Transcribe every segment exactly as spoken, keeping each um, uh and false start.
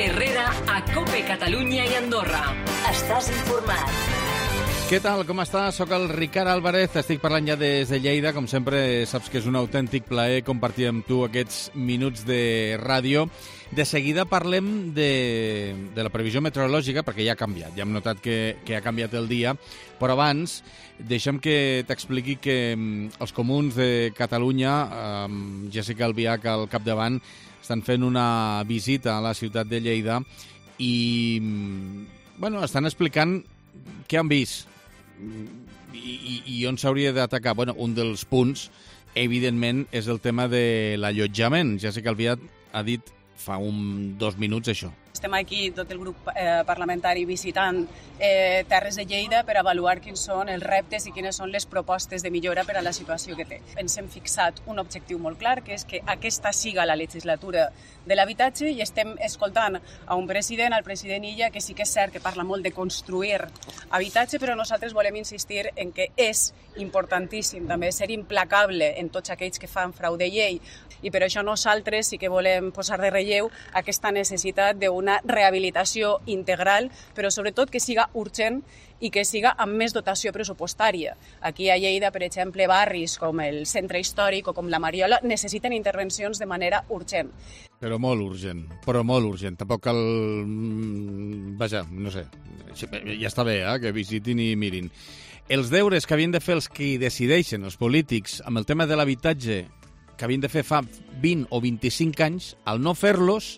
Herrera a COPE Catalunya i Andorra. Estàs informat. Què tal, com estàs? Soc el Ricard Álvarez, estic parlant ja des de Lleida. Com sempre, saps que és un autèntic plaer compartir amb tu aquests minuts de ràdio. De seguida parlem de, de la previsió meteorològica, perquè ja ha canviat, ja hem notat que, que ha canviat el dia, però abans deixa'm que t'expliqui que els comuns de Catalunya, amb Jessica Albiach al capdavant, estan fent una visita a la ciutat de Lleida i bueno, estan explicant què han vist i, i, i on s'hauria d'atacar. Bueno, un dels punts, evidentment, és el tema de l'allotjament. Jessica Albiach ha dit fa un, dos minuts això. Estem aquí, tot el grup eh, parlamentari, visitant eh, Terres de Lleida per avaluar quins són els reptes i quines són les propostes de millora per a la situació que té. Ens hem fixat un objectiu molt clar, que és que aquesta siga la legislatura de l'habitatge, i estem escoltant a un president, al president Illa, que sí que és cert que parla molt de construir habitatge, però nosaltres volem insistir en que és importantíssim també ser implacable en tots aquells que fan frau de llei, i per això nosaltres sí que volem posar de relleu aquesta necessitat d'una rehabilitació integral, però sobretot que siga urgent i que siga amb més dotació pressupostària. Aquí a Lleida, per exemple, barris com el Centre Històric o com la Mariola necessiten intervencions de manera urgent. Però molt urgent, però molt urgent. Tampoc cal... Vaja, no sé, ja està bé, eh, que visitin i mirin. Els deures que havien de fer els que decideixen, els polítics, amb el tema de l'habitatge, que havien de fer fa vint o vint-i-cinc anys, al no fer-los,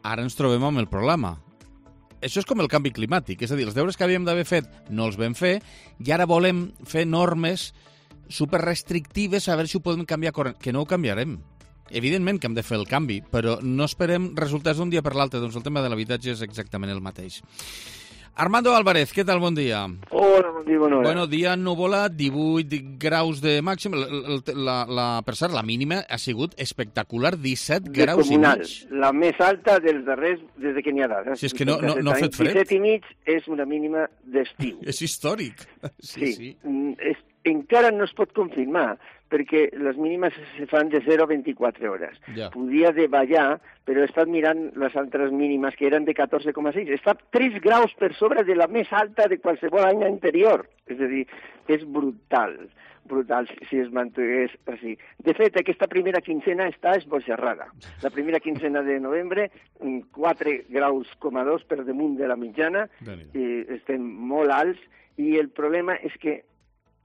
ara ens trobem amb el problema. Això és com el canvi climàtic, és a dir, els deures que havíem d'haver fet no els vam fer i ara volem fer normes superrestrictives a veure si ho podem canviar, que no ho canviarem. Evidentment que hem de fer el canvi, però no esperem resultats d'un dia per l'altre, doncs el tema de l'habitatge és exactament el mateix. Armando Álvarez, què tal? Bon dia. Hola, bon dia, bona hora. Bueno, dia ennuvolat, divuit graus de màxim. La, la, la, per cert, la mínima ha sigut espectacular, disset graus i mig. La més alta dels darrers, des de que n'hi ha dades. Si és que no, no, no ha fet fred. disset i mig és una mínima d'estiu. És històric. Sí, sí. sí. És, encara no es pot confirmar, perquè les mínimes se fan de zero a vint-i-quatre hores. Ja. Podia davallar, però he estat mirant les altres mínimes, que eren de catorze coma sis. Està tres graus per sobre de la més alta de qualsevol any anterior. És a dir, és brutal, brutal si es mantingués així. De fet, aquesta primera quincena està esbojarrada. La primera quincena de novembre, quatre graus coma dos per damunt de la mitjana, i estem molt alts, i el problema és que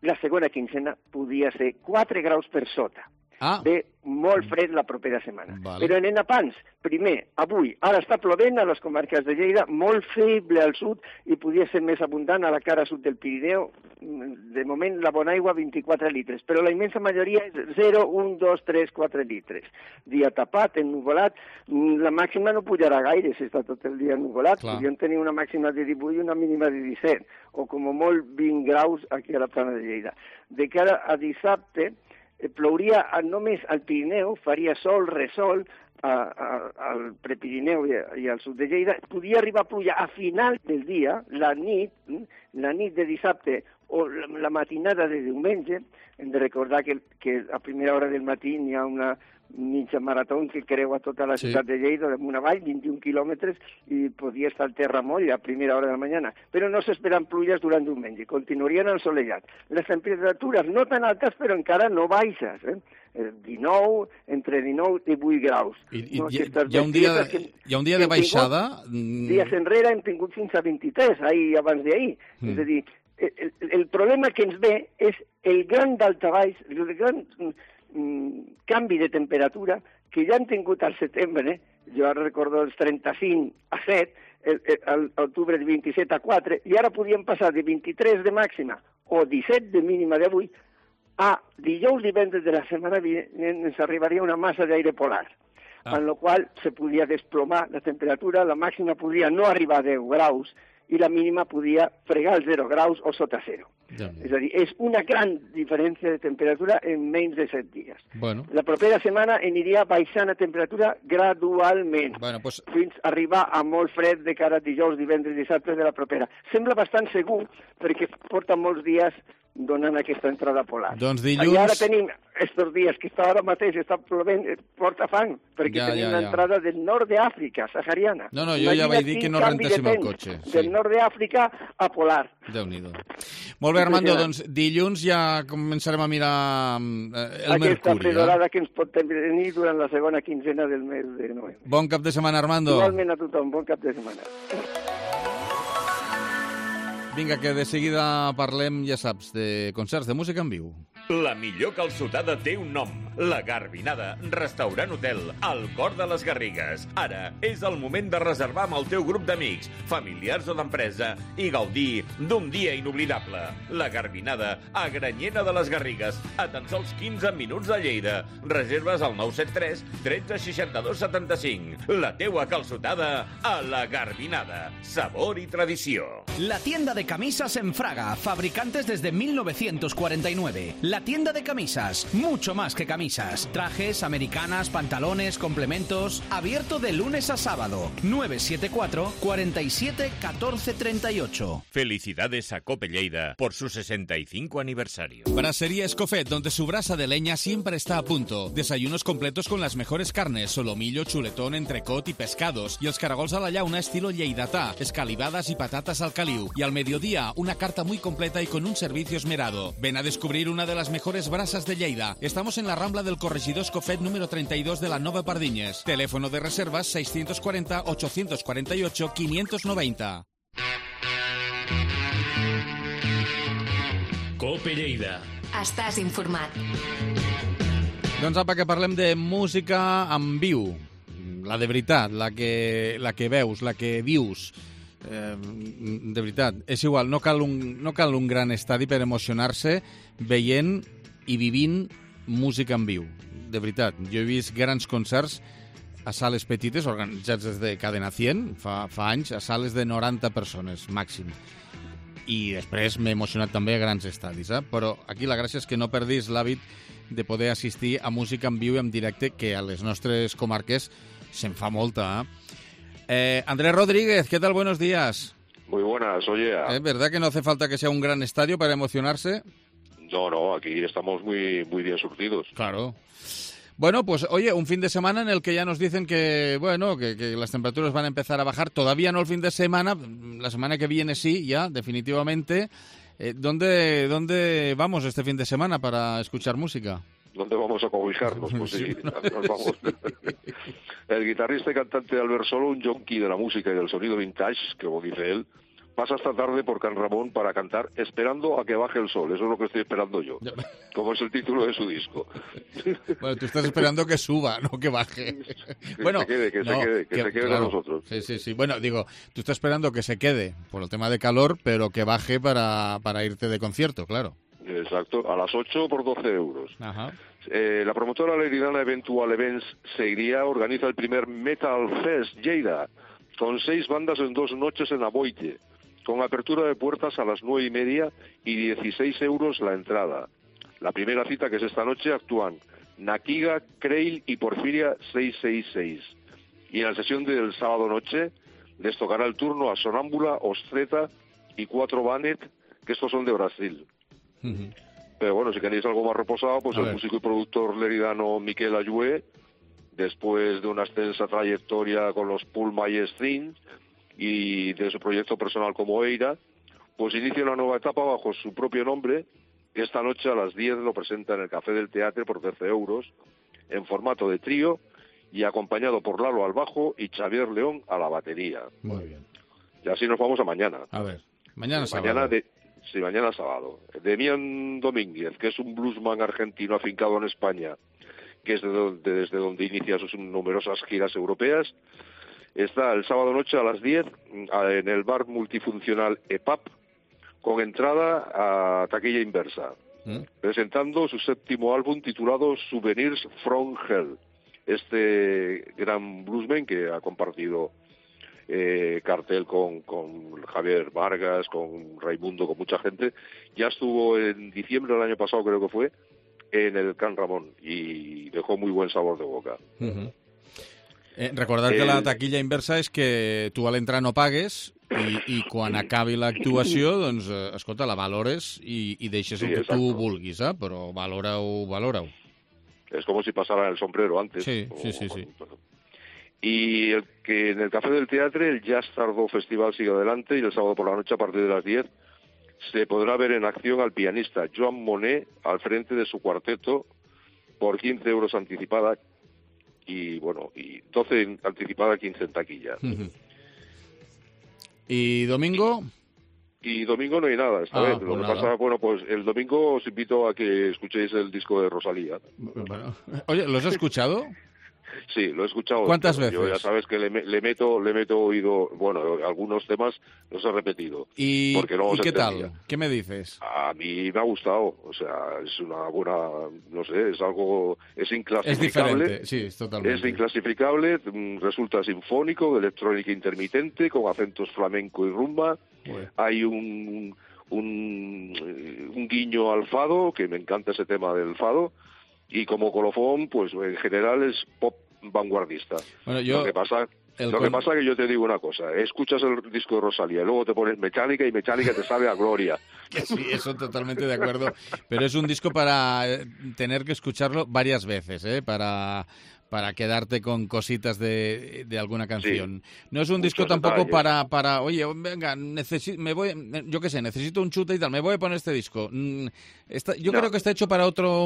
la segona quincena podia ser quatre graus per sota. Ah. Ve molt fred la propera setmana. Vale. Però anem a pans. Primer, avui, ara està plovent a les comarques de Lleida, molt feble al sud i podia ser més abundant a la cara sud del Pirineu. De moment, la bona aigua, vint-i-quatre litres, però la immensa majoria és zero, un, dos, tres, quatre litres. Dia tapat, ennuvolat, la màxima no pujarà gaire si està tot el dia ennuvolat. Podríem tenir una màxima de divuit i una mínima de disset, o com a molt vint graus aquí a la plana de Lleida. De cara a dissabte, plouria només al Pirineu, faria sol, resol, a, a, al Prepirineu i, i al sud de Lleida. Podia arribar a pluja a final del dia, la nit, la nit de dissabte o la, la matinada de diumenge. Hem de recordar que, que a primera hora del matí hi ha una mitja marató que creua tota la ciutat sí. de Lleida, damunt avall, vint-i-un quilòmetres, i podia estar el terra moll a primera hora de la mañana. Però no s'esperen pluges durant diumenge, continuarien ensolellat. Les temperatures no tan altes, però encara no baixes, eh? dinou, entre dinou i divuit graus. I, i no, hi, hi, ha un dia, que, hi ha un dia de baixada? Tingut, dies enrere hem tingut fins a vint-i-tres, ahir, abans d'ahir. Mm. És a dir, el, el problema que ens ve és el gran daltabaix, el gran canvi de temperatura que ja han tingut al setembre, eh? Jo ara recordo els trenta-cinc a set, a l'octubre de vint-i-set a quatre, i ara podíem passar de vint-i-tres de màxima o disset de mínima d'avui a dijous, divendres de la setmana vinent ens arribaria una massa d'aire polar, ah. en la qual se podia desplomar la temperatura, la màxima podia no arribar a deu graus i la mínima podia fregar els zero graus o sota zero. Ja. És a dir, és una gran diferència de temperatura en menys de set dies. Bueno. La propera setmana aniria baixant la temperatura gradualment, bueno, pues... fins a arribar a molt fred de cara a dijous, divendres i dissabte de la propera. Sembla bastant segur, perquè porta molts dies donant aquesta entrada polar. Doncs dilluns... I ara tenim estos dies que està ara mateix, està plovent, porta fang, perquè ja, tenim ja, ja. l'entrada del nord d'Àfrica, sahariana. No, no, jo ja vaig dir que no rentéssim el cotxe. Sí. Del nord d'Àfrica a polar. Déu-n'hi-do. Molt bé, Armando, doncs dilluns ja començarem a mirar eh, el Aquesta Mercuri. Aquesta pedorada eh? que ens pot tenir durant la segona quinzena del mes de novembre. Bon cap de setmana, Armando. Igualment a tothom, bon cap de setmana. Vinga, que de seguida parlem, ja saps, de concerts de música en viu. La millor calçotada té un nom. La Garbinada, restaurant hotel, al cor de les Garrigues. Ara és el moment de reservar amb el teu grup d'amics, familiars o d'empresa i gaudir d'un dia inoblidable. La Garbinada, a Granyena de les Garrigues, a tan sols quinze minuts de Lleida. Reserves al nou set tres, tretze, seixanta-dos, setanta-cinc. La teua calçotada a La Garbinada. Sabor i tradició. La tienda de camisas en Fraga, fabricantes desde mil novecientos cuarenta y nueve. La tienda de camisas, mucho más que camisas. Trajes, americanas, pantalones, complementos. Abierto de lunes a sábado. nueve siete cuatro, cuatro siete, uno cuatro tres ocho. Felicidades a Cope Lleida por su sesenta y cinco aniversario. Brasería Escofet, donde su brasa de leña siempre está a punto. Desayunos completos con las mejores carnes, solomillo, chuletón, entrecot y pescados. Y els caragols a la llauna estilo lleidatà, escalivadas y patatas al caliu. Y al mediodía, una carta muy completa y con un servicio esmerado. Ven a descubrir una de las mejores brasas de Lleida. Estamos en la Rambla del Corregidor Escofet número treinta y dos de la Nova Pardiñes. Teléfono de reservas seiscientos cuarenta, ochocientos cuarenta y ocho, quinientos noventa. Cope Lleida. Estàs informat. Doncs apa, que parlem de música en viu. La de veritat, la que, la que veus, la que vius. Eh, de veritat, és igual, no cal, un, no cal un gran estadi per emocionar-se veient i vivint música en viu. De veritat, jo he vist grans concerts a sales petites, organitzats des de Cadena cent, fa, fa anys, a sales de noranta persones, màxim. I després m'he emocionat també a grans estadis, eh? Però aquí la gràcia és que no perdis l'hàbit de poder assistir a música en viu i en directe, que a les nostres comarques se'n fa molta, eh? Eh, Andrés Rodríguez, ¿qué tal? Buenos días. Muy buenas, oye. ¿Es verdad que no hace falta que sea un gran estadio para emocionarse? No, no, aquí estamos muy, muy bien surtidos. Claro. Bueno, pues oye, un fin de semana en el que ya nos dicen que, bueno, que, que las temperaturas van a empezar a bajar. Todavía no el fin de semana, la semana que viene sí, ya, definitivamente. Eh, ¿dónde, ¿Dónde vamos este fin de semana para escuchar música? ¿Dónde vamos a cobijarnos? Pues sí, nos vamos. El guitarrista y cantante Albert Solo, un yonki de la música y del sonido vintage, que como dice él, pasa esta tarde por Can Ramón para cantar Esperando a que baje el sol. Eso es lo que estoy esperando yo, como es el título de su disco. Bueno, tú estás esperando que suba, no que baje. Que bueno, se quede, que no, se quede, que, que se quede claro, con nosotros. Sí, sí, sí. Bueno, digo, tú estás esperando que se quede por el tema de calor, pero que baje para, para irte de concierto, claro. Exacto, a las ocho por doce euros. Ajá. Eh, la promotora leridana Eventual Events Seguiría organiza el primer Metal Fest Lleida, con seis bandas en dos noches en Aboite, con apertura de puertas a las nueve y media y dieciséis euros la entrada. La primera cita, que es esta noche, actúan Nakiga, Creil y Porfiria seiscientos sesenta y seis. Y en la sesión del sábado noche les tocará el turno a Sonámbula, Ostreta y Cuatro Banet, que estos son de Brasil. Uh-huh. Pero bueno, si queréis algo más reposado, pues a el ver. músico y productor leridano Miquel Ayue, después de una extensa trayectoria con los Pullman Strings y de su proyecto personal como Eira, pues inicia una nueva etapa bajo su propio nombre. Esta noche a las diez lo presenta en el Café del Teatre por trece euros, en formato de trío y acompañado por Lalo al bajo y Xavier León a la batería. Muy bien. Y así nos vamos a mañana. A ver, mañana sábado. Mañana de, sí, mañana sábado. Demián Domínguez, que es un bluesman argentino afincado en España, que es de donde, desde donde inicia sus numerosas giras europeas, está el sábado noche a las diez en el bar multifuncional E P A P, con entrada a taquilla inversa, ¿Mm? presentando su séptimo álbum titulado Souvenirs from Hell. Este gran bluesman que ha compartido eh, cartel con, con Javier Vargas, con Raimundo, con mucha gente, ya estuvo en diciembre del año pasado, creo que fue, en el Can Ramón y dejó muy buen sabor de boca. Uh-huh. Eh, recordar que el... la taquilla inversa es que tú al entrar no pagues I, i quan acabi l'actuació, doncs, eh, escolta, la valores i, i deixes el Sí, que exacto. tu vulguis, eh? Però valora-ho, valora-ho. Es como si pasara el sombrero antes. Sí, o- sí, sí, sí. Y el que en el Café del Teatro, el Jazz Tardó Festival sigue adelante y el sábado por la noche a partir de las diez se podrá ver en acción al pianista Joan Monet al frente de su cuarteto por quince euros anticipada y, bueno, y doce en anticipada, quince en taquilla. Ujú. ¿Y domingo? Y domingo no hay nada esta Ah, vez. Lo pues que nada. pasa, bueno, pues el domingo os invito a que escuchéis el disco de Rosalía. Bueno. Oye, ¿los has escuchado? Sí, lo he escuchado. ¿Cuántas pero Yo veces? ya sabes que le, me- le meto le meto oído, bueno, algunos temas los he repetido. ¿Y, Porque no ¿y los qué entendía. tal? ¿Qué me dices? A mí me ha gustado, o sea, es una buena, no sé, es algo, es inclasificable. Es diferente, sí, es totalmente. Es inclasificable, mm, resulta sinfónico, de electrónica intermitente, con acentos flamenco y rumba. Bueno. Hay un, un, eh, un guiño al fado, que me encanta ese tema del fado, y como colofón, pues en general es pop vanguardista. Bueno, yo- Lo que pasa... el Lo que con- pasa es que yo te digo una cosa, escuchas el disco de Rosalía y luego te pones Mecánica y Mecánica te sabe a gloria. Que sí, eso totalmente de acuerdo. Pero es un disco para eh, tener que escucharlo varias veces, ¿eh? Para, para quedarte con cositas de, de alguna canción. No es un disco muchos tampoco detalles. para, para, oye, venga, necesi- me voy, yo qué sé, necesito un chute y tal, me voy a poner este disco. Mm, está- yo No. creo que está hecho para otro,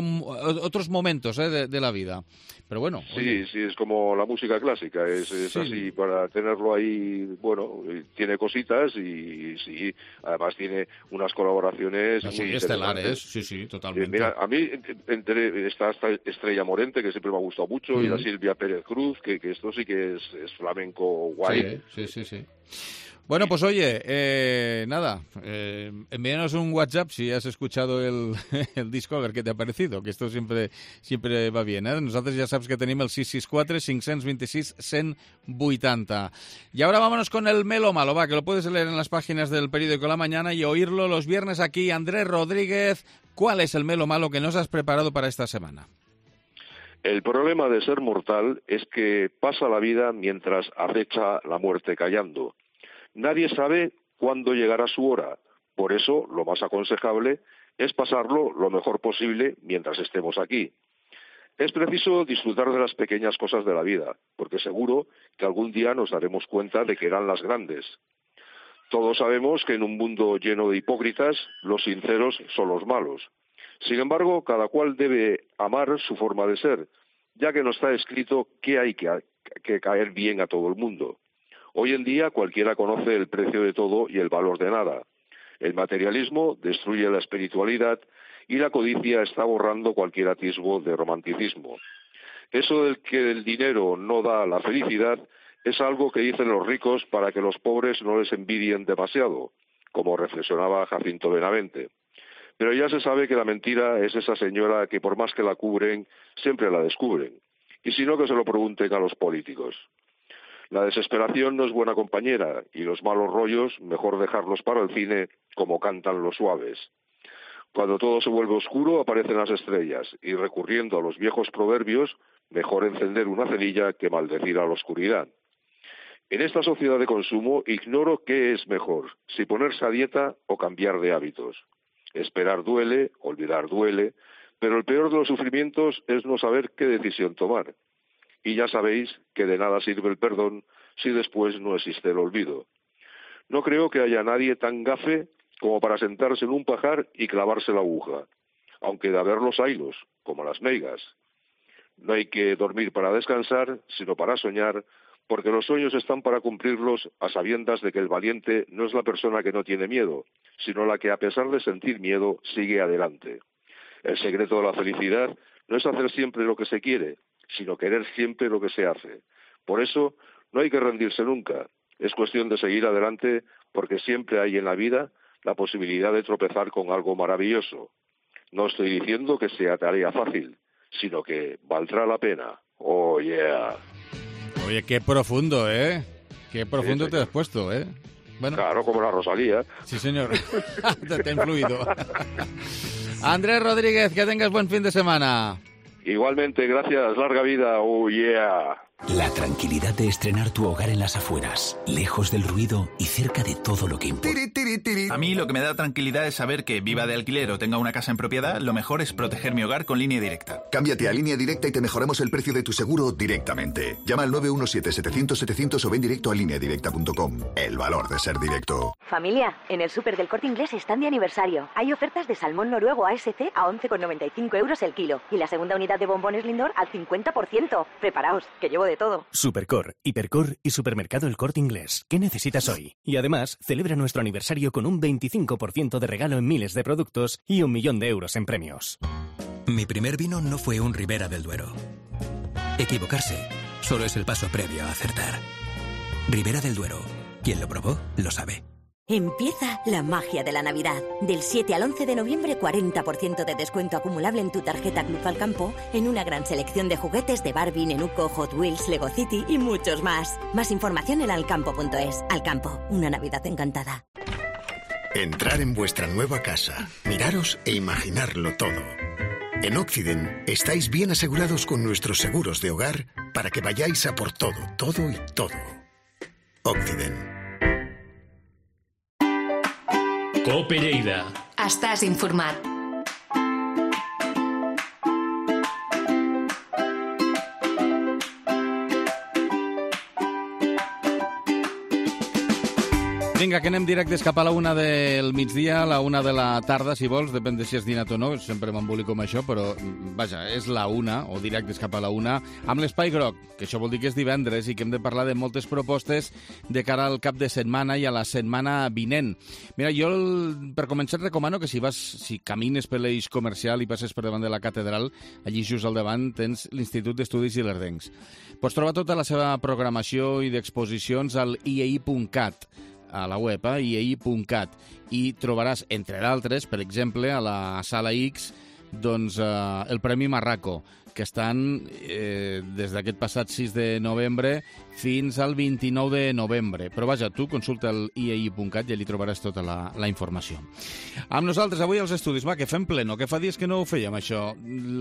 otros momentos ¿eh? de, de la vida. Pero bueno, oye, Sí, sí, es como la música clásica, es, es Sí. así para tenerlo ahí, bueno, eh, tiene cositas y sí, además tiene unas colaboraciones así, muy estelares, interesantes. sí, sí, Eh, totalmente. Mira, a mí entre, está esta Estrella Morente, que siempre me ha gustado mucho, y la Ujú. Silvia Pérez Cruz, que, que esto sí que es, es flamenco guay. Sí, sí, sí, sí. Bueno, pues oye, eh, nada, eh, envíanos un WhatsApp si has escuchado el, el disco, a ver qué te ha parecido, que esto siempre siempre va bien, ¿eh? Nosotros ya sabes que tenemos el seis seis cuatro, cinco dos sis, uno ochenta. Y ahora vámonos con el Melo Malo, va, que lo puedes leer en las páginas del periódico La Mañana y oírlo los viernes aquí. Andrés Rodríguez, ¿cuál es el Melo Malo que nos has preparado para esta semana? El problema de ser mortal es que pasa la vida mientras acecha la muerte callando. Nadie sabe cuándo llegará su hora, por eso lo más aconsejable es pasarlo lo mejor posible mientras estemos aquí. Es preciso disfrutar de las pequeñas cosas de la vida, porque seguro que algún día nos daremos cuenta de que eran las grandes. Todos sabemos que en un mundo lleno de hipócritas, los sinceros son los malos. Sin embargo, cada cual debe amar su forma de ser, ya que no está escrito que hay que, que caer bien a todo el mundo. Hoy en día cualquiera conoce el precio de todo y el valor de nada. El materialismo destruye la espiritualidad y la codicia está borrando cualquier atisbo de romanticismo. Eso del que el dinero no da la felicidad es algo que dicen los ricos para que los pobres no les envidien demasiado, como reflexionaba Jacinto Benavente. Pero ya se sabe que la mentira es esa señora que por más que la cubren, siempre la descubren. Y si no, que se lo pregunten a los políticos. La desesperación no es buena compañera y los malos rollos mejor dejarlos para el cine como cantan los suaves. Cuando todo se vuelve oscuro aparecen las estrellas y recurriendo a los viejos proverbios, mejor encender una cerilla que maldecir a la oscuridad. En esta sociedad de consumo ignoro qué es mejor, si ponerse a dieta o cambiar de hábitos. Esperar duele, olvidar duele, pero el peor de los sufrimientos es no saber qué decisión tomar. Y ya sabéis que de nada sirve el perdón si después no existe el olvido. No creo que haya nadie tan gafe como para sentarse en un pajar y clavarse la aguja, aunque de haberlos haylos, como las meigas. No hay que dormir para descansar, sino para soñar, porque los sueños están para cumplirlos a sabiendas de que el valiente no es la persona que no tiene miedo, sino la que a pesar de sentir miedo sigue adelante. El secreto de la felicidad no es hacer siempre lo que se quiere, sino querer siempre lo que se hace. Por eso no hay que rendirse nunca, es cuestión de seguir adelante porque siempre hay en la vida la posibilidad de tropezar con algo maravilloso. No estoy diciendo que sea tarea fácil, sino que valdrá la pena. Oh, yeah. Oye, qué profundo, ¿eh? Qué profundo Sí, te has puesto, ¿eh? Bueno, Claro, como la Rosalía. sí, señor. te, te ha influido. Andrés Rodríguez, que tengas buen fin de semana. Igualmente, gracias, larga vida. Oh, yeah. La tranquilidad de estrenar tu hogar en las afueras, lejos del ruido y cerca de todo lo que importa. A mí lo que me da tranquilidad es saber que viva de alquiler o tenga una casa en propiedad, lo mejor es proteger mi hogar con Línea Directa. Cámbiate a Línea Directa y te mejoramos el precio de tu seguro directamente. Llama al nueve uno siete, setecientos, setecientos o ven directo a línea directa punto com. El valor de ser directo. Familia, en el súper del Corte Inglés están de aniversario. Hay ofertas de salmón noruego A S C a once con noventa y cinco euros el kilo y la segunda unidad de bombones Lindor al cincuenta por ciento. Preparaos, que llevo de todo. Supercor, Hipercor y Supermercado El Corte Inglés. ¿Qué necesitas hoy? Y además, celebra nuestro aniversario con un veinticinco por ciento de regalo en miles de productos y un millón de euros en premios. Mi primer vino no fue un Ribera del Duero. Equivocarse solo es el paso previo a acertar. Ribera del Duero. Quien lo probó, lo sabe. Empieza la magia de la Navidad. Del siete al once de noviembre, cuarenta por ciento de descuento acumulable en tu tarjeta Club Alcampo en una gran selección de juguetes de Barbie, Nenuco, Hot Wheels, Lego City y muchos más. Más información en alcampo punto es. Alcampo, una Navidad encantada. Entrar en vuestra nueva casa, miraros e imaginarlo todo. En Occident estáis bien asegurados con nuestros seguros de hogar para que vayáis a por todo, todo y todo. Occident. Cope Lleida. Estàs informat. Vinga, que anem directes cap a la una del migdia, a la una de la tarda, si vols, depèn de si has dinat o no, sempre m'embolico amb això, però, vaja, és la una, o directes cap a la una, amb l'Espai Groc, que això vol dir que és divendres i que hem de parlar de moltes propostes de cara al cap de setmana i a la setmana vinent. Mira, jo, per començar, et recomano que si vas, si camines per l'eix comercial i passes per davant de la catedral, allí just al davant tens l'Institut d'Estudis Ilerdencs. Pots trobar tota la seva programació i d'exposicions al i e i punt cat, a la web, eh, i e i punt cat, i trobaràs, entre d'altres, per exemple, a la Sala X, doncs, eh, el Premi Marraco, que estan eh, des d'aquest passat sis de novembre fins al vint-i-nou de novembre. Però vaja, tu consulta el i e i punt cat i allí trobaràs tota la, la informació. Amb nosaltres avui als estudis, va, que fem pleno, que fa dies que no ho fèiem, això.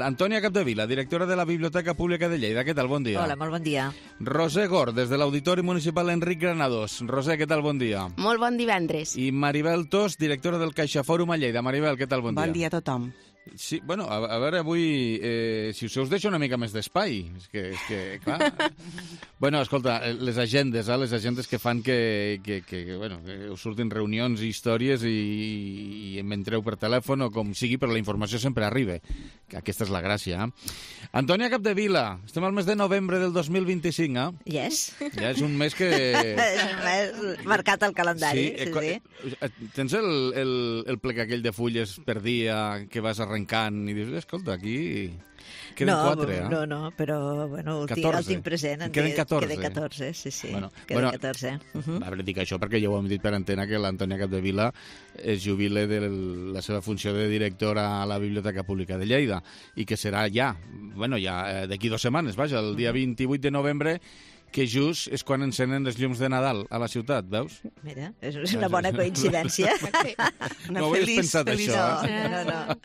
Antònia Capdevila, directora de la Biblioteca Pública de Lleida. Què tal? Bon dia. Hola, molt bon dia. Roser Gor, des de l'Auditori Municipal Enric Granados. Roser, què tal? Bon dia. Molt bon divendres. I Maribel Tos, directora del CaixaFòrum a Lleida. Maribel, què tal? Bon dia. Bon dia a tothom. Sí, bueno, a, a veure, avui, eh, si us, us deixo una mica més d'espai, és que, és que, clar... bueno, escolta, les agendes, eh, les agendes que fan que, que, que, bueno, que us surtin reunions i històries i, i em entreu per telèfon o com sigui, però la informació sempre arriba, que aquesta és la gràcia. Eh? Antònia Capdevila, estem al mes de novembre del dos mil vint-i-cinc, eh? Yes. Ja és un mes que... és un mes marcat al calendari, sí, sí. sí. Eh, tens el, el, el plec aquell de fulles per dia que vas arrencant i dius, escolta, aquí queden no, quatre, eh? No, no, però bueno, el, tinc, el tinc present. En queden catorze. Queden catorze, sí, sí. Bueno, queden bueno, catorze. Uh -huh. A veure, dic això perquè ja ho hem dit per antena que l'Antònia Capdevila es jubile de la seva funció de directora a la Biblioteca Pública de Lleida i que serà ja, bueno, ja d'aquí dues setmanes, vaja, el dia vint-i-vuit de novembre, que just és quan encenen les llums de Nadal a la ciutat, veus? Mira, és una bona coincidència. No ho havies pensat, feliç, això. No, no, no.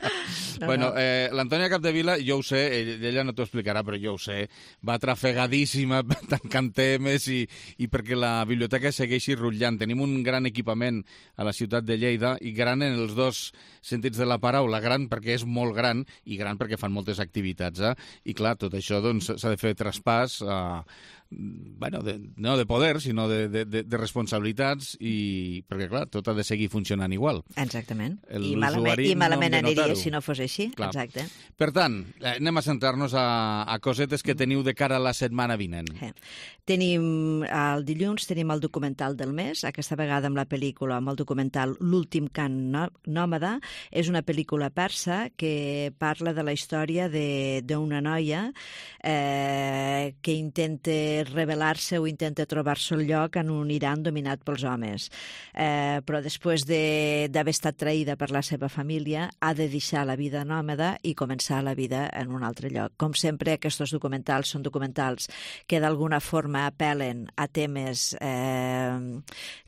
no bueno, no. Eh, l'Antònia Capdevila, jo ho sé, ella no t'ho explicarà, però jo ho sé, va trafegadíssima tancant temes i, i perquè la biblioteca segueixi rutllant. Tenim un gran equipament a la ciutat de Lleida, i gran en els dos sentits de la paraula, gran perquè és molt gran i gran perquè fan moltes activitats. Eh? I clar, tot això doncs, s'ha de fer traspàs a... Eh, bueno, de, no de poder, sinó de, de, de responsabilitats, i perquè, clar, tot ha de seguir funcionant igual. Exactament. I malament, i malament no aniria si no fos així. Clar. Exacte. Per tant, anem a centrar-nos a, a cosetes que teniu de cara a la setmana vinent. Eh. Tenim, el dilluns tenim el documental del mes, aquesta vegada amb la pel·lícula, amb el documental L'últim cant nòmada. És una pel·lícula persa que parla de la història d'una noia eh, que intenta rebel·lar-se o intenta trobar-se el lloc en un Iran dominat pels homes. Eh, però després d'haver estat traïda per la seva família, ha de deixar la vida nòmada i començar la vida en un altre lloc. Com sempre, aquests documentals són documentals que d'alguna forma apel·len a temes eh,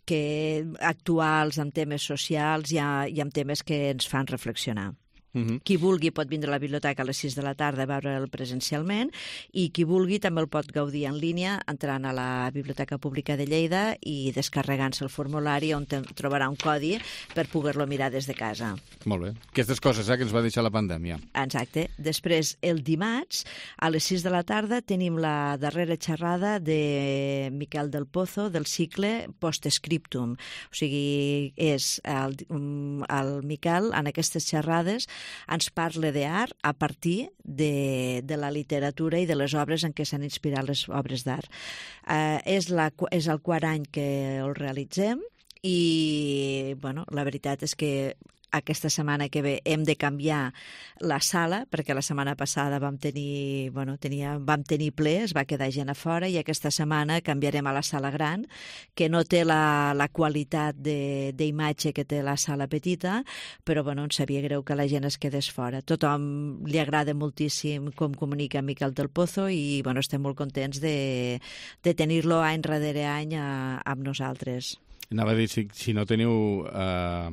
que actuals, amb temes socials i, a, i amb temes que ens fan reflexionar. Uh-huh. Qui vulgui pot vindre a la biblioteca a les sis de la tarda a veure'l presencialment i qui vulgui també el pot gaudir en línia entrant a la Biblioteca Pública de Lleida i descarregant-se el formulari on trobarà un codi per poder-lo mirar des de casa. Molt bé. Aquestes coses eh, que ens va deixar la pandèmia. Exacte. Després, el dimarts, a les sis de la tarda, tenim la darrera xerrada de Miquel del Pozo del cicle Postscriptum. O sigui, és el, el Miquel, en aquestes xerrades, ens parla d'art a partir de, de la literatura i de les obres en què s'han inspirat les obres d'art. Eh, és, la, és el quart any que el realitzem i, bueno, la veritat és que aquesta setmana que ve hem de canviar la sala, perquè la setmana passada vam tenir, bueno, tenia, vam tenir ple, es va quedar gent a fora, i aquesta setmana canviarem a la sala gran, que no té la, la qualitat d'imatge que té la sala petita, però bueno, ens sabia greu que la gent es quedés fora. Tothom li agrada moltíssim com comunica Miquel del Pozo i bueno, estem molt contents de, de tenir-lo any darrere any a, amb nosaltres. Anava a dir, si, si no teniu eh,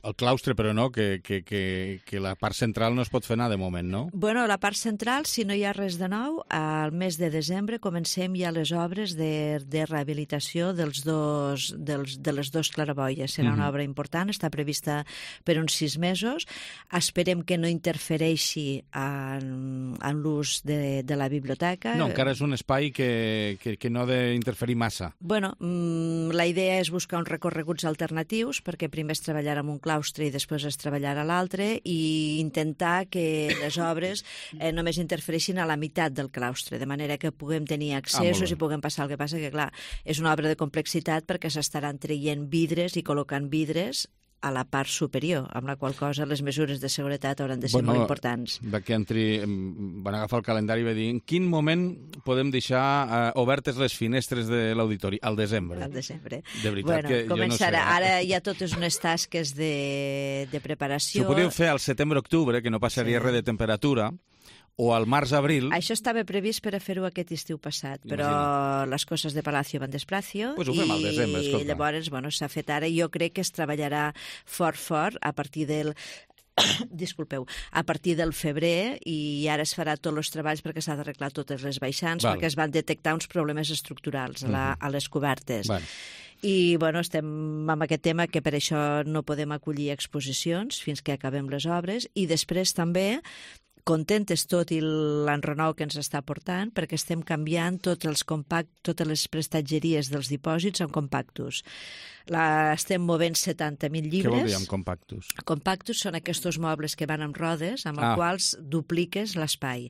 el claustre, però no, que, que, que, que la part central no es pot fer anar de moment, no? Bueno, la part central, si no hi ha res de nou, al mes de desembre comencem ja les obres de, de rehabilitació dels dos, dels, de les dues claraboies. Serà una obra important, està prevista per uns sis mesos. Esperem que no interfereixi en, en l'ús de, de la biblioteca. No, encara és un espai que, que, que no ha d'interferir massa. Bueno, mmm, la idea és buscar uns recorreguts alternatius, perquè primer es treballarà en un claustre i després es treballarà a l'altre, i intentar que les obres eh, només interfereixin a la meitat del claustre, de manera que puguem tenir accessos ah, i puguem passar. El que passa que, clar, és una obra de complexitat perquè s'estaran traient vidres i col·locant vidres a la part superior, amb la qual cosa les mesures de seguretat hauran de ser bueno, molt importants. Va que entri, van agafar el calendari i va dir en quin moment podem deixar uh, obertes les finestres de l'auditori? Al desembre. Al desembre. De veritat bueno, que començarà. jo no sé. Ara hi ha totes unes tasques de, de preparació. Si ho podíeu fer al setembre-octubre, que no passaria sí. res de temperatura, o al març-abril... Això estava previst per a fer-ho aquest estiu passat, però Imagina. les coses de Palacio van desplacio pues ho fem al desembre, escolta. I llavors bueno, s'ha fet ara. Jo crec que es treballarà fort, fort, a partir del... disculpeu, a partir del febrer, i ara es farà tots els treballs perquè s'ha d'arreglar totes les baixants, Val. perquè es van detectar uns problemes estructurals a, la, a les cobertes. Val. I bueno, estem amb aquest tema que per això no podem acollir exposicions fins que acabem les obres, i després també contentes tot i l'enrenou que ens està portant, perquè estem canviant tots els compact, totes les prestatgeries dels dipòsits en compactos. La, estem movent setanta mil llibres. Què vol dir amb compactos? Compactos són aquests mobles que van amb rodes, amb els ah. quals dupliques l'espai.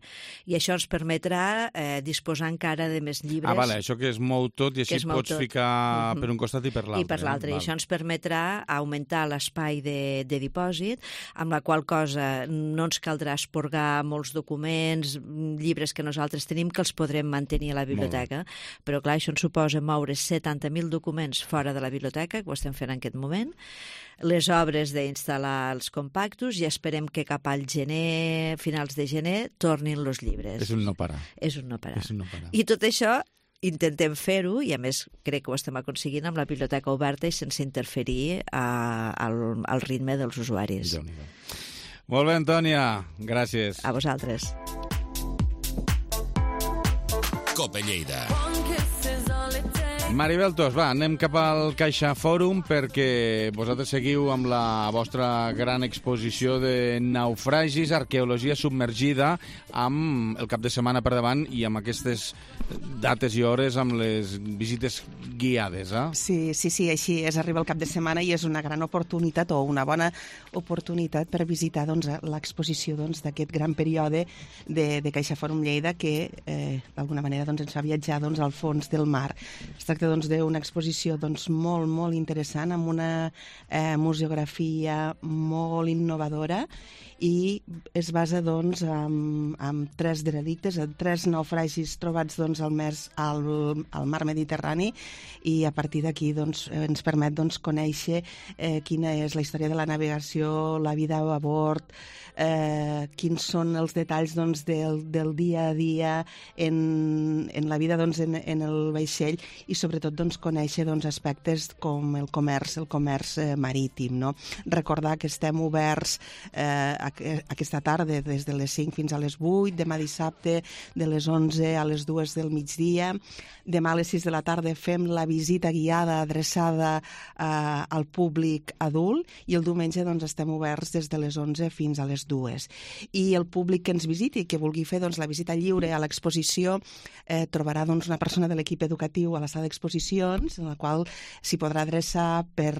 I això ens permetrà eh, disposar encara de més llibres. Ah, vale, això que es mou tot i així pots tot. ficar uh-huh. per un costat i per l'altre. I per l'altre. Eh? I això ens permetrà augmentar l'espai de, de dipòsit, amb la qual cosa no ens caldrà esporgar molts documents, llibres que nosaltres tenim, que els podrem mantenir a la biblioteca. Però clar, això ens suposa moure setanta mil documents fora de la biblioteca, que ho estem fent en aquest moment, les obres d'instal·lar els compactos, i esperem que cap al gener, finals de gener, tornin els llibres. És un no parar. És un no parar. És un no parar. I tot això intentem fer-ho, i a més crec que ho estem aconseguint amb la biblioteca oberta i sense interferir a, al, al ritme dels usuaris. Déu-n'hi-do. Molt bé, Antònia. Gràcies. A vosaltres. Cope Lleida. Maribel Tos, va, anem cap al Caixa Fòrum perquè vosaltres seguiu amb la vostra gran exposició de naufragis, arqueologia submergida, amb el cap de setmana per davant i amb aquestes dates i hores amb les visites guiades, eh? Sí, sí, sí, així és, arriba el cap de setmana i és una gran oportunitat o una bona oportunitat per visitar doncs, l'exposició doncs, d'aquest gran període de, de Caixa Fòrum Lleida que eh, d'alguna manera doncs, ens fa viatjar doncs, al fons del mar. Es tracta doncs, d'una exposició doncs, molt, molt interessant, amb una eh, museografia molt innovadora, i es basa doncs, en, en tres veredictes, en tres naufragis trobats doncs, al, mes, al, al mar Mediterrani, i a partir d'aquí doncs, ens permet doncs, conèixer eh, quina és la història de la navegació, la vida a bord, eh, quins són els detalls doncs, del, del dia a dia en, en la vida doncs, en, en el vaixell i sobretot doncs, conèixer doncs, aspectes com el comerç, el comerç eh, marítim. No? Recordar que estem oberts eh, aquesta tarda des de les cinc fins a les vuit, demà dissabte de les onze a les dues del migdia, demà a les sis de la tarda fem la visita guiada adreçada eh, al públic adult i el diumenge doncs, estem oberts des de les onze fins a les dues. I el públic que ens visiti, que vulgui fer doncs, la visita lliure a l'exposició, eh, trobarà doncs, una persona de l'equip educatiu a la sala d'exposicions, en la qual s'hi podrà adreçar per,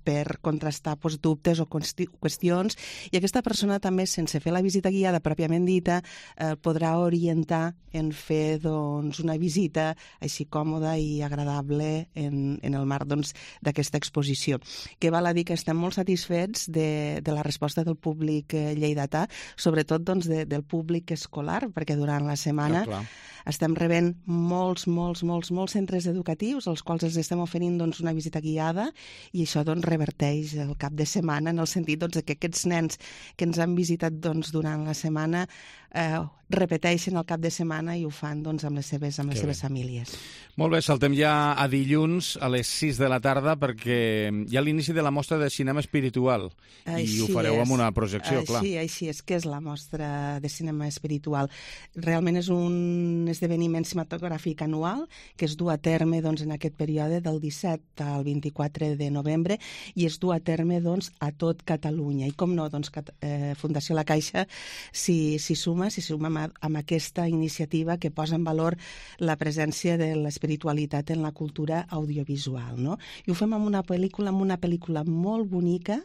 per contrastar doncs, dubtes o qüestions, i aquesta persona també, sense fer la visita guiada pròpiament dita, eh, podrà orientar en fer doncs, una visita així còmoda i agradable en, en el marc d'aquesta doncs, exposició. Que val a dir que estem molt satisfets de, de la resposta del públic eh, lleidatà, sobretot doncs, de, del públic escolar, perquè durant la setmana ah, estem rebent molts, molts, molts, molts centres educatius als quals els estem oferint doncs, una visita guiada i això doncs, reverteix el cap de setmana en el sentit doncs, que aquests nens que ens han visitat doncs, durant la setmana eh, repeteixen el cap de setmana i ho fan doncs, amb les seves, amb les seves famílies. Molt bé, saltem ja a dilluns a les sis de la tarda perquè hi ha l'inici de la mostra de cinema espiritual així i ho fareu és. amb una projecció, així, clar. Així és, que és la mostra de cinema espiritual. Realment és un esdeveniment cinematogràfic anual que es du a terme doncs, en aquest període del disset al vint-i-quatre de novembre i es du a terme doncs, a tot Catalunya. I com no, doncs, eh, Fundació La Caixa s'hi suma, s'hi suma amb, amb aquesta iniciativa que posa en valor la presència de l'espiritualitat en la cultura audiovisual. No? I ho fem amb una pel·lícula, amb una pel·lícula molt bonica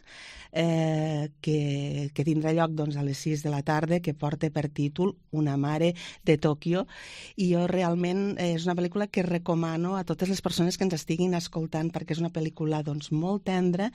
eh, que, que tindrà lloc doncs, a les sis de la tarda, que porta per títol Una mare de Tòquio, i jo realment eh, és una pel·lícula que recomano a totes les persones que ens estiguin escoltant perquè és una pel·lícula doncs, molt tendra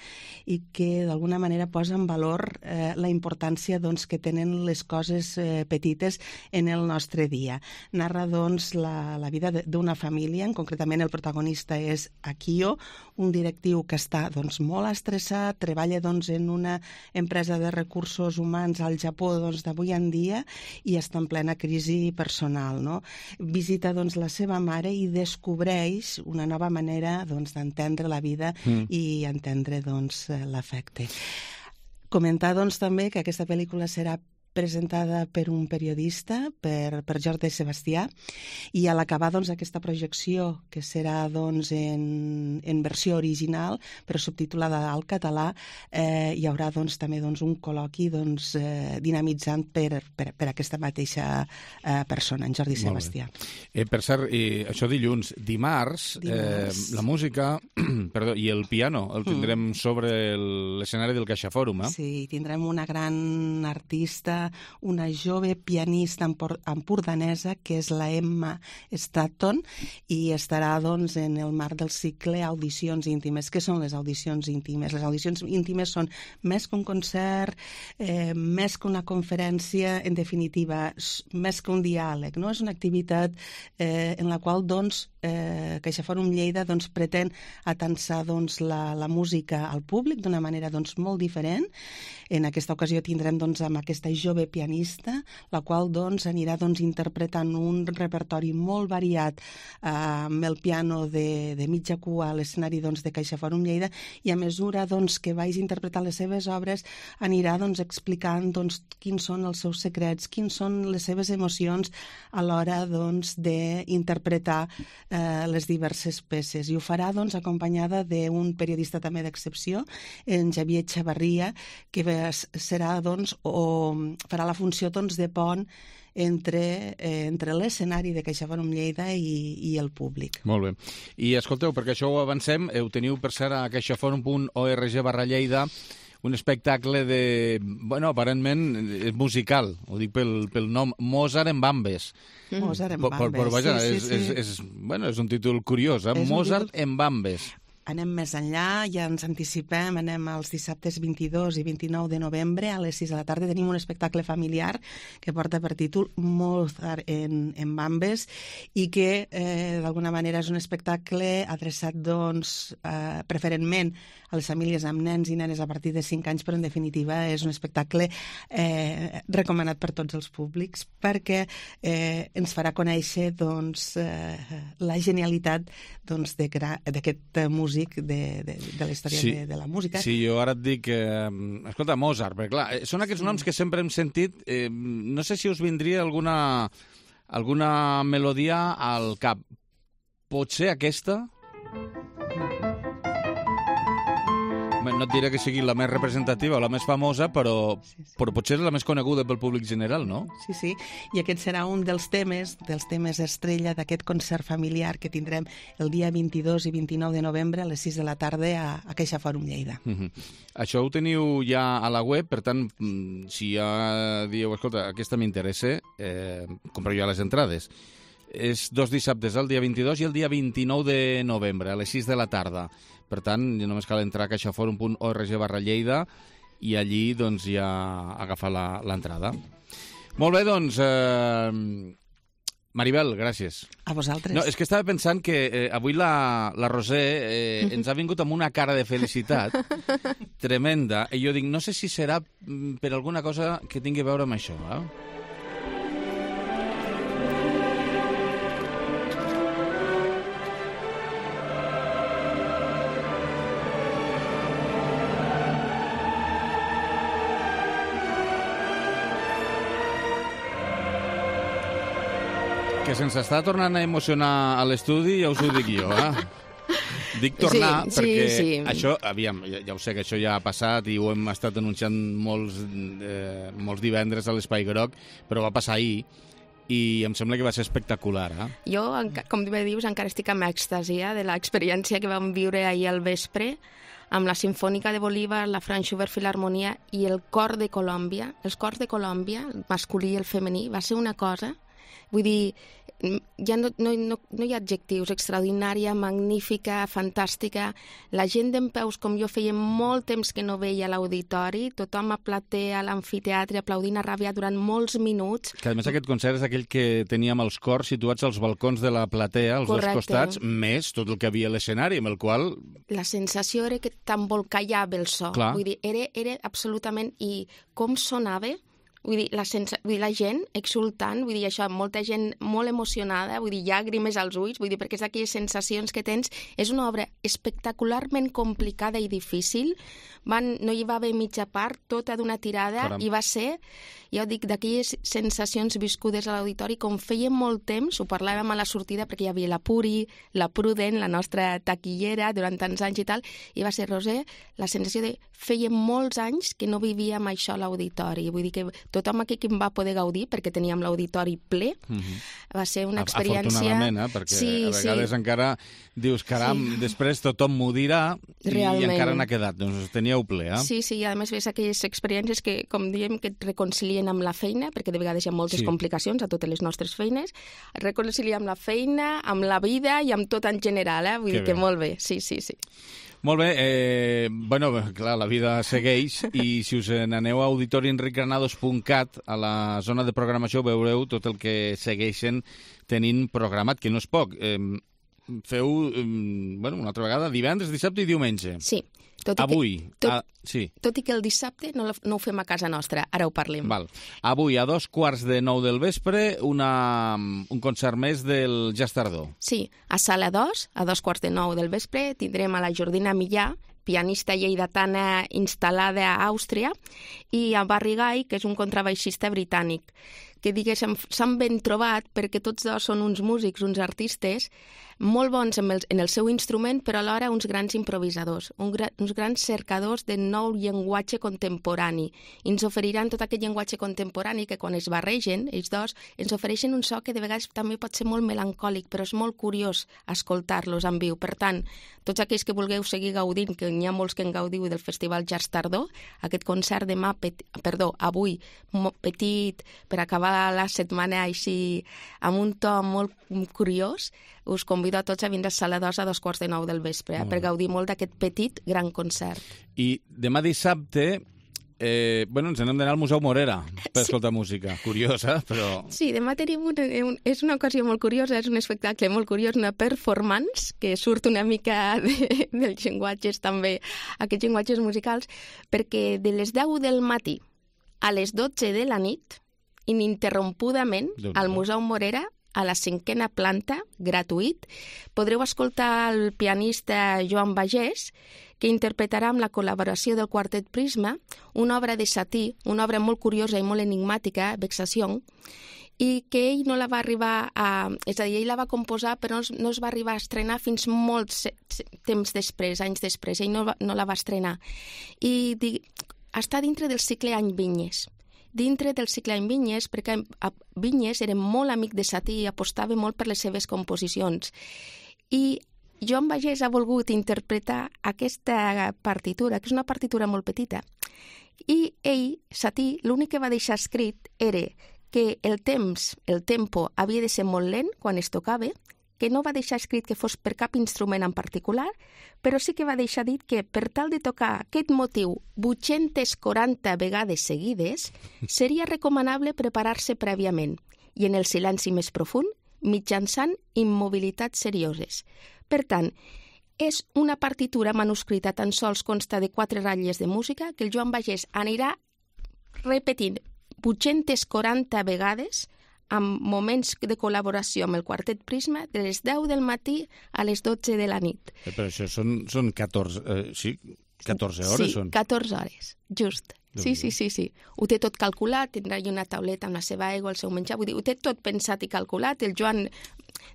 i que d'alguna manera posa en valor eh, la importància doncs, que tenen les coses eh, petites en el nostre dia. Narra doncs, la, la vida d'una família, concretament el protagonista és Akio, un directiu que està doncs, molt estressat, treballa doncs, en una empresa de recursos humans al Japó doncs, d'avui en dia i està en plena crisi personal. No? Visita doncs, la seva mare i descobreix una nova manera doncs, d'entendre la vida mm. i entendre doncs, l'afecte. Comentar doncs, també que aquesta pel·lícula serà presentada per un periodista, per, per Jordi Sebastià, i a l'acabar doncs, aquesta projecció, que serà doncs, en, en versió original, però subtitulada al català, eh, hi haurà doncs, també doncs, un col·loqui doncs, eh, dinamitzant per, per, per aquesta mateixa eh, persona, en Jordi Sebastià. Eh, per cert, i això dilluns, dimarts, dimarts. Eh, la música perdó, i el piano el tindrem mm. sobre l'escenari del CaixaForum. Eh? Sí, tindrem una gran artista, una jove pianista empordanesa que és la Emma Stratton i estarà doncs, en el marc del cicle Audicions íntimes. Què són les audicions íntimes? Les audicions íntimes són més que un concert, eh, més que una conferència, en definitiva, més que un diàleg. No? És una activitat eh, en la qual doncs, eh, CaixaForum Lleida doncs, pretén atensar doncs, la, la música al públic d'una manera doncs, molt diferent. En aquesta ocasió tindrem doncs, amb aquesta jove pianista, la qual doncs, anirà doncs, interpretant un repertori molt variat eh, amb el piano de, de mitja cua a l'escenari doncs, de CaixaForum Lleida, i a mesura doncs, que vagi interpretant les seves obres anirà doncs, explicant doncs, quins són els seus secrets, quins són les seves emocions a l'hora doncs, d'interpretar eh, les diverses peces. I ho farà doncs, acompanyada d'un periodista també d'excepció, en Xavier Xavarria, que serà doncs, o farà la funció doncs, de pont entre, eh, entre l'escenari de CaixaForum Lleida i, i el públic. Molt bé. I escolteu, perquè això ho avancem, ho teniu per ser a caixaforum punt org barra Lleida, un espectacle de... Bueno, aparentment és musical, ho dic pel, pel nom, Mozart en Bambes. Mm. Mozart en Bambes, però, però, vaja, sí, és, sí, sí. És, és, bueno, és un títol curiós, eh? Mozart títol... en Bambes. anem més enllà, ja ens anticipem, anem als dissabtes vint-i-dos i vint-i-nou de novembre a les sis de la tarda. Tenim un espectacle familiar que porta per títol Mozart en, en Bambes i que eh, d'alguna manera és un espectacle adreçat doncs, eh, preferentment a les famílies amb nens i nenes a partir de cinc anys, però en definitiva és un espectacle eh, recomanat per tots els públics perquè eh, ens farà conèixer doncs, eh, la genialitat doncs, d'aquest músic de, de, de la història sí, de, de la música. Sí, jo ara et dic, eh, escolta, Mozart, perquè clar, són aquests sí. noms que sempre hem sentit, eh, no sé si us vindria alguna, alguna melodia al cap. Potser aquesta? No et diré que sigui la més representativa o la més famosa, però, sí, sí. però potser és la més coneguda pel públic general, no? Sí, sí, i aquest serà un dels temes, dels temes estrella d'aquest concert familiar que tindrem el dia vint-i-dos i vint-i-nou de novembre a les sis de la tarda a, a Caixa Fòrum Lleida. Uh -huh. Això ho teniu ja a la web, per tant, si ja dieu, escolta, aquesta m'interessa, eh, compreu ja les entrades. És dos dissabtes, el dia vint-i-dos i el dia vint-i-nou de novembre, a les sis de la tarda. Per tant, només cal entrar a caixaforum punt org barra Lleida i allí doncs, ja agafar l'entrada. Molt bé, doncs, eh, Maribel, gràcies. A vosaltres. No, és que estava pensant que eh, avui la, la Roser eh, ens ha vingut amb una cara de felicitat tremenda, i jo dic, no sé si serà per alguna cosa que tingui a veure amb això, eh? Que se'ns està tornant a emocionar a l'estudi, ja us ho dic jo, eh? Dic tornar sí, perquè sí, sí. això, aviam, ja, ja ho sé que això ja ha passat i ho hem estat anunciant molts, eh, molts divendres a l'Espai Groc, però va passar ahir i em sembla que va ser espectacular, eh? Jo, com bé dius, encara estic amb èxtasia de l'experiència que vam viure ahir al vespre amb la Simfònica de Bolívar, la Franz Schubert Filharmonia i el Cor de Colòmbia. Els cors de Colòmbia, el masculí i el femení, va ser una cosa... Vull dir, ja no, no, no, no hi ha adjectius, extraordinària, magnífica, fantàstica. La gent dempeus, com jo feia molt temps que no veia a l'auditori, tothom a platea, a l'amfiteatre, aplaudint a ràbia durant molts minuts. Que a més aquest concert és aquell que teníem els cors situats als balcons de la platea, als Correcte. dos costats, més tot el que havia a l'escenari, amb el qual... La sensació era que t'embolcallava el so. Clar. Vull dir, era, era absolutament... I com sonava... Vull dir, la, sensa... vull dir, la gent exultant, vull dir, això, molta gent molt emocionada, vull dir, llàgrimes als ulls, vull dir, perquè és d'aquelles sensacions que tens. És una obra espectacularment complicada i difícil. Van... No hi va haver mitja part, tota d'una tirada, Caram. I va ser, ja ho dic, d'aquelles sensacions viscudes a l'auditori, com feia molt temps, ho parlàvem a la sortida, perquè hi havia la Puri, la Pruden, la nostra taquillera, durant tants anys i tal, i va ser, Roser, la sensació de feia molts anys que no vivíem això a l'auditori. Vull dir que tothom aquí que em va poder gaudir, perquè teníem l'auditori ple, mm-hmm. va ser una experiència... Afortunadament, eh? Perquè sí, a vegades sí. encara dius, caram, sí. després tothom m'ho dirà i, i encara n'ha quedat. Doncs teníeu ple, eh? Sí, sí, i a més ves aquelles experiències que, com diem, que et reconcilien amb la feina, perquè de vegades hi ha moltes sí. complicacions a totes les nostres feines, et reconcilien amb la feina, amb la vida i amb tot en general, eh? Vull que dir bé. Que molt bé, sí, sí, sí. Molt bé, eh, bueno, clar, la vida segueix i si us n'aneu a auditori enric granados punt cat, a la zona de programació veureu tot el que segueixen tenint programat, que no és poc. Eh, feu, eh, bueno, una altra vegada, divendres, dissabte i diumenge. Sí. Tot i Avui. Que, tot, a, sí. tot i que el dissabte no, no ho fem a casa nostra, ara ho parlem. Val. Avui, a dos quarts de nou del vespre, una, un concert més del Jazz Tardor. Sí, a Sala dos, a dos quarts de nou del vespre, tindrem a la Jordina Millà, pianista lleidatana instal·lada a Àustria, i a Barry Guy, que és un contrabaixista britànic, que diguéssim s'han ben trobat perquè tots dos són uns músics, uns artistes, molt bons en el, en el seu instrument, però alhora uns grans improvisadors, un gra, uns grans cercadors de nou llenguatge contemporani. I ens oferiran tot aquest llenguatge contemporani que quan es barregen, ells dos, ens ofereixen un so que de vegades també pot ser molt melancòlic, però és molt curiós escoltar-los en viu. Per tant, tots aquells que vulgueu seguir gaudint, que n'hi ha molts que en gaudiu del Festival Jazz Tardor, aquest concert demà, pet, perdó, avui, petit, per acabar tota la setmana així amb un to molt curiós, us convido a tots a vindre a Sala dos a dos quarts de nou del vespre, eh, per gaudir molt d'aquest petit gran concert. I demà dissabte, eh, bueno, ens anem d'anar al Museu Morera per sí. escoltar música. Curiosa, però... Sí, demà tenim una, un, és una ocasió molt curiosa, és un espectacle molt curiós, una performance que surt una mica de, dels llenguatges també, aquests llenguatges musicals, perquè de les deu del matí a les dotze de la nit, ininterrompudament, al Museu Morera, a la cinquena planta, gratuït, podreu escoltar el pianista Joan Bagés, que interpretarà amb la col·laboració del Quartet Prisma una obra de Satie, una obra molt curiosa i molt enigmàtica, Vexación, i que ell no la va arribar a... És a dir, ell la va composar, però no es va arribar a estrenar fins molts temps després, anys després. Ell no, va, no la va estrenar. I di, està dintre del cicle Any Vinyes. Dintre del cicle Any Vinyes, perquè Vinyes era molt amic de Satie i apostava molt per les seves composicions. I Joan Bagés ha volgut interpretar aquesta partitura, que és una partitura molt petita, i ell, Satie, l'únic que va deixar escrit era que el temps, el tempo, havia de ser molt lent quan es tocava, que no va deixar escrit que fos per cap instrument en particular, però sí que va deixar dit que per tal de tocar aquest motiu vuit-centes quaranta vegades seguides, seria recomanable preparar-se prèviament i en el silenci més profund, mitjançant immobilitats serioses. Per tant, és una partitura manuscrita, tan sols consta de quatre ratlles de música, que el Joan Bagés anirà repetint vuit-centes quaranta vegades amb moments de col·laboració amb el Quartet Prisma de les deu del matí a les dotze de la nit. Eh, però això són, són catorze, eh, sí, catorze hores? Sí, són? catorze hores, just. Sí, sí, sí, sí. Ho té tot calculat, tindrà una tauleta amb la seva aigua, el seu menjar, vull dir, ho té tot pensat i calculat. El Joan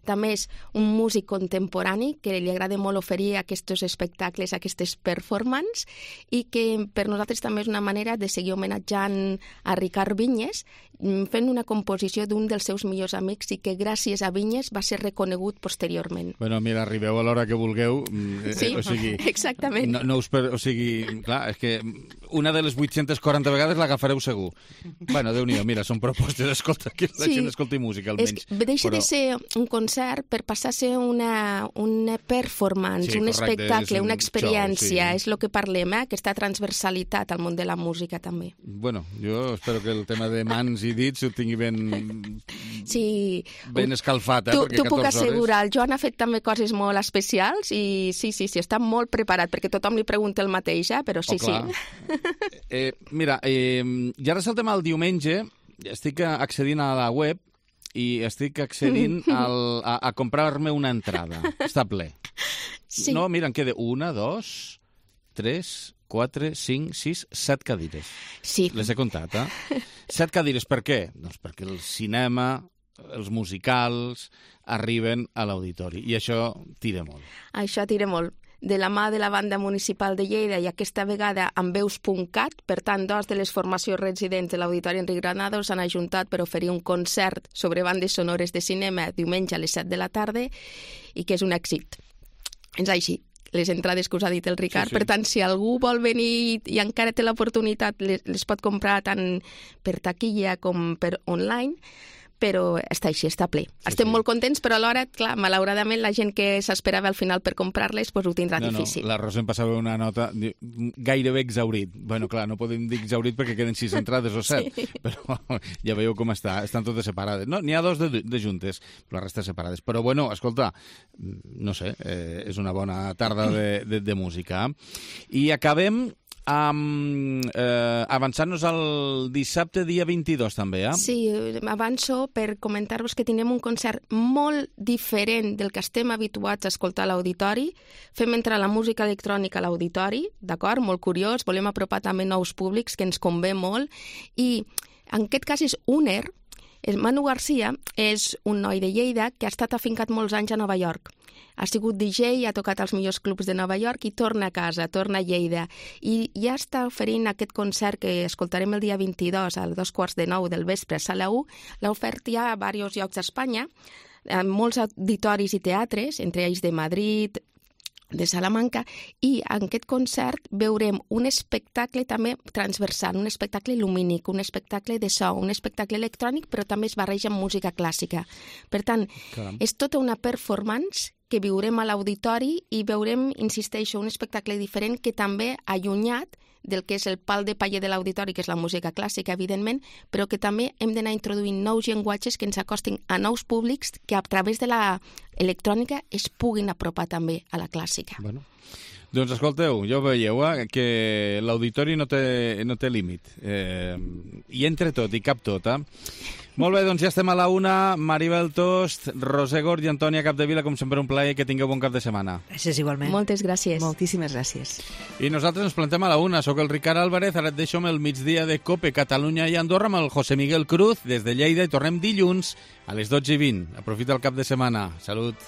també és un músic contemporani que li agrada molt oferir aquests espectacles, aquestes performances, i que per nosaltres també és una manera de seguir homenatjant a Ricard Vinyes, fent una composició d'un dels seus millors amics i que gràcies a Vinyes va ser reconegut posteriorment. Bueno, mira, arribeu a l'hora que vulgueu. Eh, sí, o sigui, exactament. No, no us per, o sigui, clar, és que una de les vuit-centes quaranta vegades l'agafareu segur. Bueno, Déu-n'hi-do, mira, són propostes, escolta, que la sí, gent escolti música, almenys. És, deixa però... de ser un concert per passar a ser una, una performance, sí, un correcte, espectacle, un una experiència, show, sí. És el que parlem, eh? Aquesta transversalitat al món de la música, també. Bueno, jo espero que el tema de mans i dits ho tingui ben, sí, ben escalfat, eh? Tu, perquè tu puc assegurar, hores... el Joan ha fet també coses molt especials i sí, sí, sí, està molt preparat, perquè tothom li pregunta el mateix, eh? Però sí, oh, sí. Eh, mira, eh, ja ara és el tema del diumenge, estic accedint a la web i estic accedint al, a, a comprar-me una entrada. Està ple. Sí. No, mira, em queda una, dos, tres, quatre, cinc, sis, set cadires. Sí. Les he comptat, eh? Set cadires, per què? Doncs perquè el cinema, els musicals, arriben a l'auditori. I això tira molt. Això tira molt. De la mà de la Banda Municipal de Lleida i aquesta vegada amb veus punt cat, per tant, dos de les formacions residents de l'Auditori Enric Granados s'han ajuntat per oferir un concert sobre bandes sonores de cinema diumenge a les set de la tarda i que és un èxit. És així, les entrades que us ha dit el Ricard. Sí, sí. Per tant, si algú vol venir i encara té l'oportunitat, les, les pot comprar tant per taquilla com per online, però està així, està ple. Sí, Estem sí. molt contents, però alhora, clar, malauradament, la gent que s'esperava al final per comprar-les pues, ho tindrà no, difícil. No, la Rosa em passava una nota gairebé exaurit. Bueno, clar, no podem dir exaurit perquè queden sis entrades o set, sí. Però ja veieu com està, estan totes separades. No, n'hi ha dos de, de juntes, però la resta separades. Però, bueno, escolta, no sé, eh, és una bona tarda de, de, de música. I acabem... Um, eh, avançant-nos al dissabte dia vint-i-dos també, eh? Sí, avanço per comentar-vos que tindrem un concert molt diferent del que estem habituats a escoltar a l'auditori. Fem entrar la música electrònica a l'auditori, d'acord? Molt curiós, volem apropar també nous públics, que ens convé molt, i en aquest cas és Uner. Manu Garcia és un noi de Lleida que ha estat afincat molts anys a Nova York. Ha sigut D J, ha tocat als millors clubs de Nova York i torna a casa, torna a Lleida. I ja està oferint aquest concert que escoltarem el dia vint-i-dos a dos quarts de nou del vespre a Sala u. L'ha ofert ja a diversos llocs d'Espanya, en molts auditoris i teatres, entre ells de Madrid de Salamanca, i en aquest concert veurem un espectacle també transversal, un espectacle lumínic, un espectacle de so, un espectacle electrònic, però també es barreja amb música clàssica. Per tant, Caram. és tota una performance que viurem a l'auditori i veurem, insisteixo, un espectacle diferent que també ha allunyat del que és el pal de paller de l'auditori, que és la música clàssica, evidentment, però que també hem d'anar introduint nous llenguatges que ens acostin a nous públics que a través de la electrònica es puguin apropar també a la clàssica. Bueno. Doncs escolteu, ja ho veieu, eh, que l'auditori no té, no té límit. Eh, I entre tot, i cap tot, eh? Molt bé, doncs ja estem a la una. Maribel Tost, Roser Gort i Antònia Capdevila, com sempre un plaer, que tingueu bon cap de setmana. Gràcies, igualment. Moltes gràcies. Moltíssimes gràcies. I nosaltres ens plantem a la una. Soc el Ricard Álvarez, ara et deixo amb el migdia de COPE Catalunya i Andorra amb el José Miguel Cruz des de Lleida i tornem dilluns a les dotze i vint. Aprofita el cap de setmana. Salut.